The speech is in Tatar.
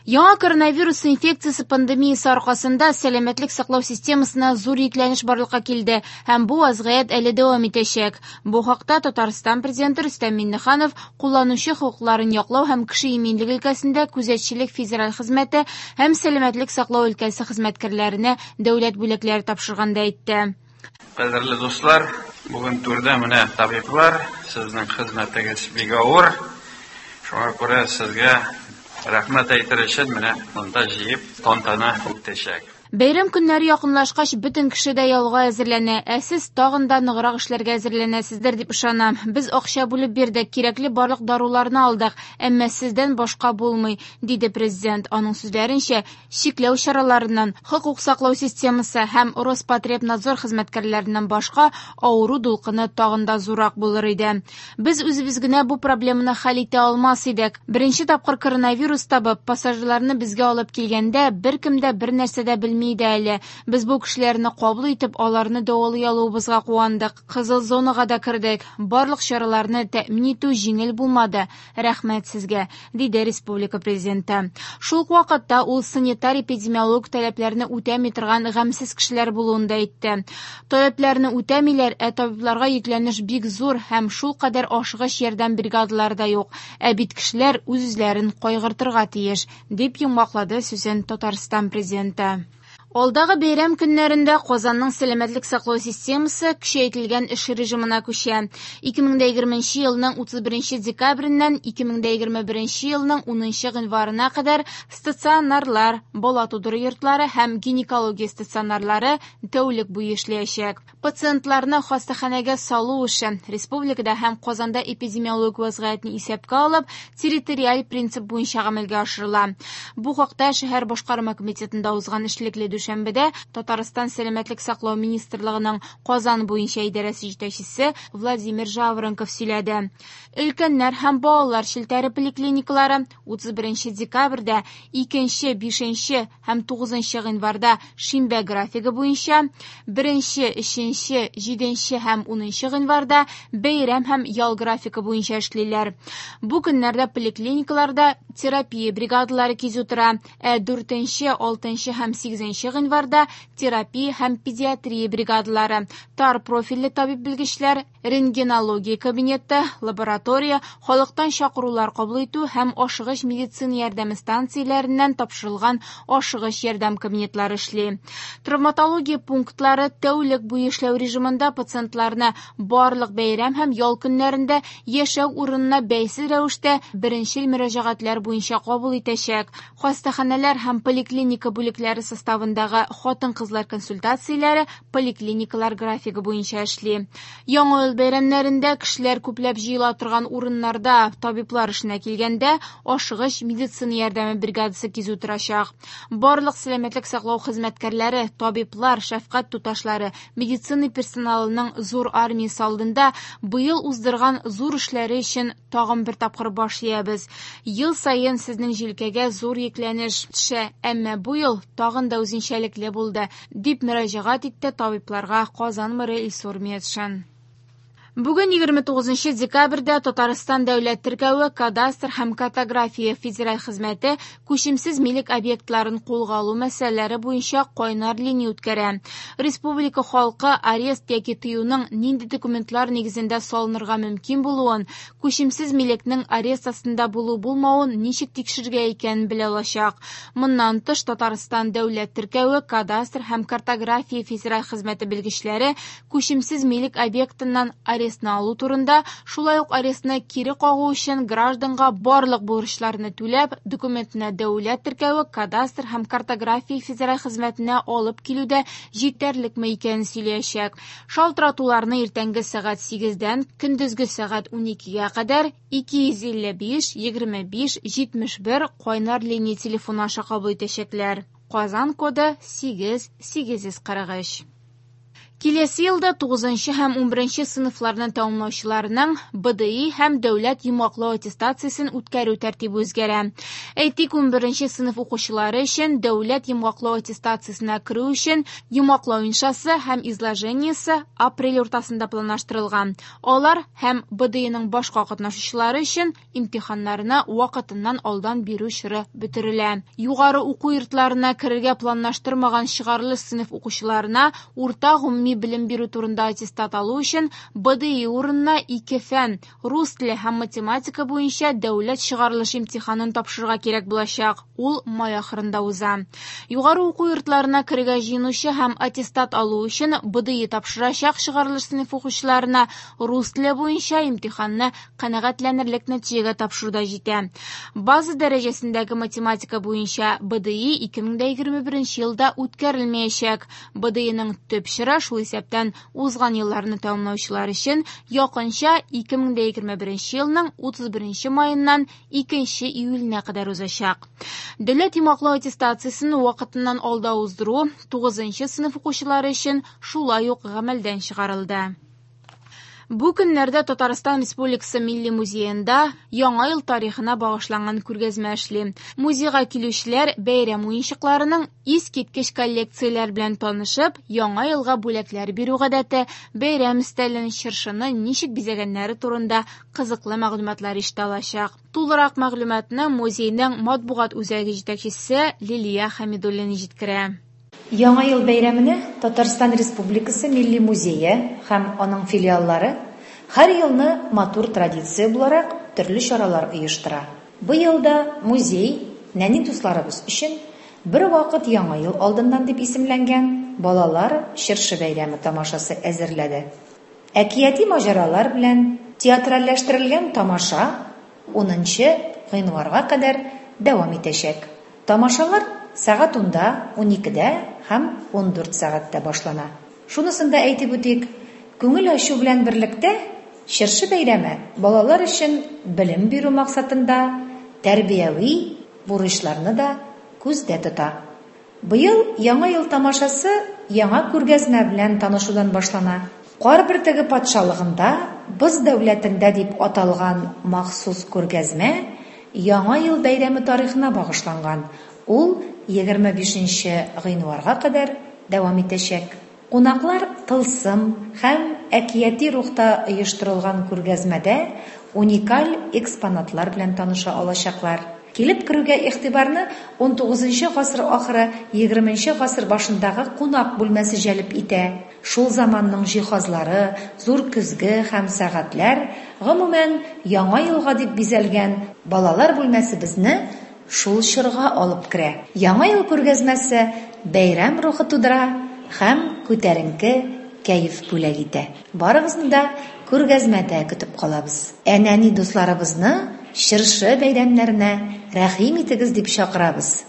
Яңа коронавирус инфекциясе пандемиясе аркасында сәламәтлек саклау системасына зур йөкләнеш барлыкка килде һәм бу вазгыять әле дәвам итәчәк. Бу хакта Татарстан Президенты Рөстәм Миңнеханов кулланучы хокукларын яклау һәм кеше иминлеге өлкәсендә күзәтчелек федераль хезмәте һәм сәламәтлек саклау өлкәсе хезмәткәрләренә дәүләт бүләкләре тапшырганда әйтте. Кадерле дуслар, бүген түрдә менә табиблар, сезнең хезмәтегез бик авыр. Шуңа күрә сезгә рәхмәт әйтер өчен менә монда җыеп тантана үтәчәк. Бәйрәм көннәре якынлашкач, бөтен кеше дә ялга әзерләнә, ә сез тагын да ныграк эшләргә әзерләнәсездер дип ышанам. Без акча бүлеп бирдек, кирәкле барлык даруларны алдык, әмма сездән башка булмый, диде президент. Аның сүзләренчә, чикләү чараларыннан, хокук саклау системасы һәм Роспотребнадзор хезмәткәрләреннән башка авыру дулкыны тагын да зуррак булыр иде. Без үзебез генә бу проблеманы хәл итә алмас идек. Беренче тапкыр коронавирус табып, пассажирларны безгә алып килгәндә, беркем дә бер нәрсә дә белми иде әле. Без бу кешеләрне кабул итеп, аларны дәвалый алуыбызга куандык. Кызыл зонага да кердек. Барлык чараларны тәэмин итү җиңел булмады. Рәхмәт сезгә, диде республика президенты. Шул ук вакытта ул санитар-эпидемиологик таләпләрне үтәми торган гамьсез кешеләр булуын да әйтте. Таләпләрне үтәмиләр, ә табибларга йөкләнеш бик зур һәм шулкадәр ашыгыч ярдәм бригадалары да юк. Ә бит кешеләр үз-үзләрен кайгыртырга тиеш, дип йомгаклады сүзен Татарстан президенты. Алдагы бәйрәм көннәрендә Казанның сәламәтлек саклау системасы көчәйтелгән эш режимына күчә. 2020 елның 31 декабреннән 2021 елның 10 гыйнварына кадәр стационарлар, бала тудыру йортлары һәм гинекология стационарлары тәүлек буе эшләячәк. Пациентларны хастаханәгә салу эше республикада һәм Казанда эпидемиологик вазгыятьне исәпкә алып, территориаль принцип буенча гамәлгә ашырыла. Бу хакта шәһәр башкарма комитетында узган эшлекле дүшәмбедә Татарстан сәламәтлек саклау министрлыгының Казан буенча идарәсе җитәкчесе Владимир Жаворонков сөйләде. Өлкәннәр һәм балалар челтәре поликлиникалары 31 декабрьдә 2, 5 һәм 9 гыйнварда шимбә графигы буенча, 1, 3, 7 һәм 10 гыйнварда бәйрәм һәм ял графигы буенча эшлиләр. Бу көннәрдә поликлиникаларда терапия бригадалары кизү тора, ә 4, 6 һәм 8 гыйнварда терапия һәм педиатрия бригадалары, тар профильле табиб белгечләр, рентгенология кабинеты, лаборатория, халыктан чакырулар кабул итү һәм ашыгыч медицина ярдәме станцияләреннән тапшырылган ашыгыч ярдәм кабинетлары эшли. Травматология пунктлары тәүлек буе эшләү режимында пациентларны барлык бәйрәм һәм ял көннәрендә яшәү урынына бәйсез рәвештә беренчел мөрәҗәгатьләр буенча кабул итәчәк. Хастаханәләр һәм поликлиника бүлекләре составындагы хатын-кызлар консультацияләре поликлиникалар графигы буенча эшли. Яңа ел бәйрәмнәрендә кешеләр күпләп җыела торган урыннарда табиблар эшенә килгәндә ашыгыч медицина ярдәме бригадасы кизү торачак. Барлык сәламәтлек саклау хезмәткәрләре, табиблар, шәфкать туташлары, медицина персоналының зур армиясе алдында быел уздырган зур эшләре өчен тагын бер тапкыр баш иябез. Ел саен сезнең җилкәгә зур йөкләнеш төшә, әмма бу ел тагын да үзенчәлекле булды, дип мөрәҗәгать итте табибларга Казан мэры Илсур Метшин. Бүген 29 декабрьдә Татарстан дәүләт теркәве, кадастр һәм картография федераль хезмәте күчемсез милек объектларын кулга алу мәсьәләләре буенча кайнар линия үткәрә. Республика халкы арест яки тыюның нинди документлар нигезендә салынырга мөмкин булуын, күчемсез милекнең арест астында булу-булмавын ничек тикшерергә икәнен белә алачак. Моннан тыш Татарстан дәүләт теркәве, кадастр һәм картография федераль хезмәте белгечләре күчемсез милек объектыннан арестны алу турында, шулай ук арестны кире кагу өчен гражданга барлык бурычларны түләп, документны дәүләт теркәве, кадастр һәм картография федераль хезмәтенә алып килүдә җитәрлекме икәнен сөйләячәк. Шалтыратуларны иртәнге сәгать 8-дән көндезге сәгать 12-гә кадәр 255 25 71 кайнар линия телефоны аша кабул итәчәкләр. Казан коды 8 843. Киләсе елда 9 һәм 11 сыйныфларны тәмамлаучыларның БДИ һәм дәүләт йомгаклау аттестациясен үткәрү тәртибе үзгәрә. Әйтик, 11 сыйныф укучылары өчен дәүләт йомгаклау аттестациясенә керү өчен йомгаклау иншасы һәм изложениесе апрель уртасында планлаштырылган. Алар һәм БДИның башка катнашучылары өчен имтиханнарны вакытыннан алдан бирү чоры бетерелә. Югары уку йортларына керергә планлаштырмаган чыгарылыш сыйныф укучыларына урта гомуми белем бирү турында аттестат алу өчен БДИ урынына ике фән – рус теле һәм математика буенча дәүләт чыгарылыш имтиханын тапшырырга кирәк булачак. Ул май ахырында уза. Югары уку йортларына керергә җыенучы һәм аттестат алу өчен БДИ тапшырачак чыгарылыш сыйныф укучыларына рус теле буенча имтиханны канәгатьләнерлек нәтиҗәгә тапшыру да җитә. База дәрәҗәсендәге математика буенча БДИ 2021 елда үткәрелмәячәк. БДИның төп чоры, шул исәптән узган елларны тәмамлаучылар өчен, якынча 2021 елның 31 маеннан 2 июленә кадәр узачак. Дәүләт йомгаклау аттестациясен вакытыннан алда уздыру 9 сыйныф укучылары өчен шулай ук гамәлдән чыгарылды. Бу көннәрдә Татарстан Республикасы Милли музеенда Яңа ел тарихына багышланган күргәзмә эшли. Музейга килүчеләр бәйрәм уенчыкларының искиткеч коллекцияләр белән танышып, Яңа елга бүләкләр бирү гадәте, бәйрәм өстәлен, чыршыны ничек бизәгәннәре турында кызыклы мәгълүматлар ишетә алачак. Тулырак мәгълүматны музейның матбугат үзәге җитәкчесе Лилия Хәмидуллина җиткерә. Яңа ел бәйрәменә Татарстан Республикасы Милли музее һәм аның филиаллары һәр елны матур традиция буларак төрле чаралар оештыра. Быел да музей нәни дусларыбыз өчен бер вакыт Яңа ел алдыннан дип исемләнгән балалар чыршы бәйрәме тамашасы әзерләде. Әкияти маҗаралар белән театральләштерелгән тамаша 10 гыйнварга кадәр дәвам итәчәк. Тамашалар сәгать 10-да, 12-дә һәм 14 сәгатьтә башлана. Шунысын да әйтеп үтик, күңел ачу белән берлектә чыршы бәйрәме балалар өчен белем бирү максатында тәрбияви бурычларны да күздә тота. Быел Яңа ел тамашасы яңа күргәзмә белән танышудан башлана. Кар бөртеге патшалыгында, боз дәүләтендә дип аталган махсус күргәзмә Яңа ел бәйрәме тарихына багышланган. Ул 25 гыйнварга кадәр дәвам итәчәк. Кунаклар тылсым һәм әкияти рухта оештырылган күргәзмәдә уникаль экспонатлар белән таныша алачаклар. Килеп керүгә игътибарны 19 гасыр ахыры 20 гасыр башындагы кунак бүлмәсе җәлеп итә. Шул заманның җиһазлары, зур көзге һәм сәгатьләр, гомумән, Яңа елга дип бизәлгән балалар бүлмәсе безне шул чорга алып керә. Яңа ел күргәзмәсе бәйрәм рухы тудыра һәм күтәренке кәеф бүләк итә. Барыгызны да күргәзмәдә көтеп калабыз. Ә нәни дусларыбызны чыршы бәйрәмнәренә рәхим итегез дип чакырабыз.